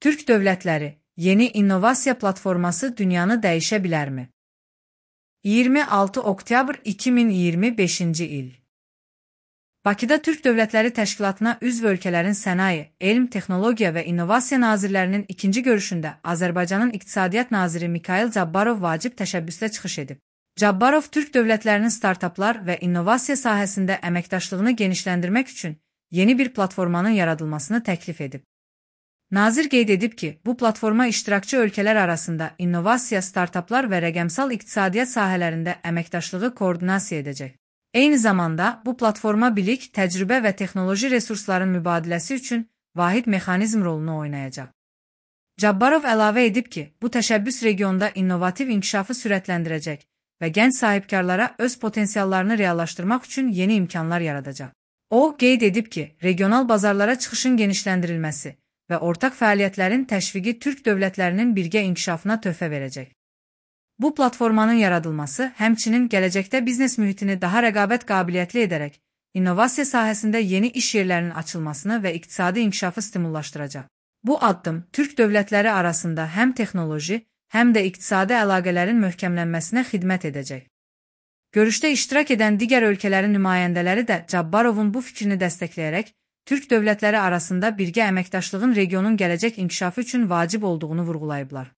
Türk dövlətləri, yeni innovasiya platforması dünyanı dəyişə bilərmi? 26 oktyabr 2025-ci il. Bakıda Türk Dövlətləri Təşkilatına üzv ölkələrin sənaye, elm, texnologiya və innovasiya nazirlərinin ikinci görüşündə Azərbaycanın İqtisadiyyat naziri Mikayıl Cabbarov vacib təşəbbüslə çıxış edib. Cabbarov Türk dövlətlərinin startaplar və innovasiya sahəsində əməkdaşlığını genişləndirmək üçün yeni bir platformanın yaradılmasını təklif edib. Nazir qeyd edib ki, bu platforma iştirakçı ölkələr arasında innovasiya, startaplar və rəqəmsal iqtisadiyyat sahələrində əməkdaşlığı koordinasiya edəcək. Eyni zamanda, bu platforma bilik, təcrübə və texnoloji resursların mübadiləsi üçün vahid mexanizm rolunu oynayacaq. Cabbarov əlavə edib ki, bu təşəbbüs regionda innovativ inkişafı sürətləndirəcək və gənc sahibkarlara öz potensiallarını reallaşdırmaq üçün yeni imkanlar yaradacaq. O, qeyd edib ki, regional bazarlara çıxışın genişləndirilməsi və ortaq fəaliyyətlərin təşviqi Türk dövlətlərinin birgə inkişafına töhfə verəcək. Bu platformanın yaradılması həmçinin gələcəkdə biznes mühitini daha rəqabət qabiliyyətli edərək, innovasiya sahəsində yeni iş yerlərinin açılmasını və iqtisadi inkişafı stimullaşdıracaq. Bu addım Türk dövlətləri arasında həm texnoloji, həm də iqtisadi əlaqələrin möhkəmlənməsinə xidmət edəcək. Görüşdə iştirak edən digər ölkələrin nümayəndələri də Cabbarovun bu fikrini dəstəkləyərək, Türk dövlətləri arasında birgə əməkdaşlığın regionun gələcək inkişafı üçün vacib olduğunu vurğulayıblar.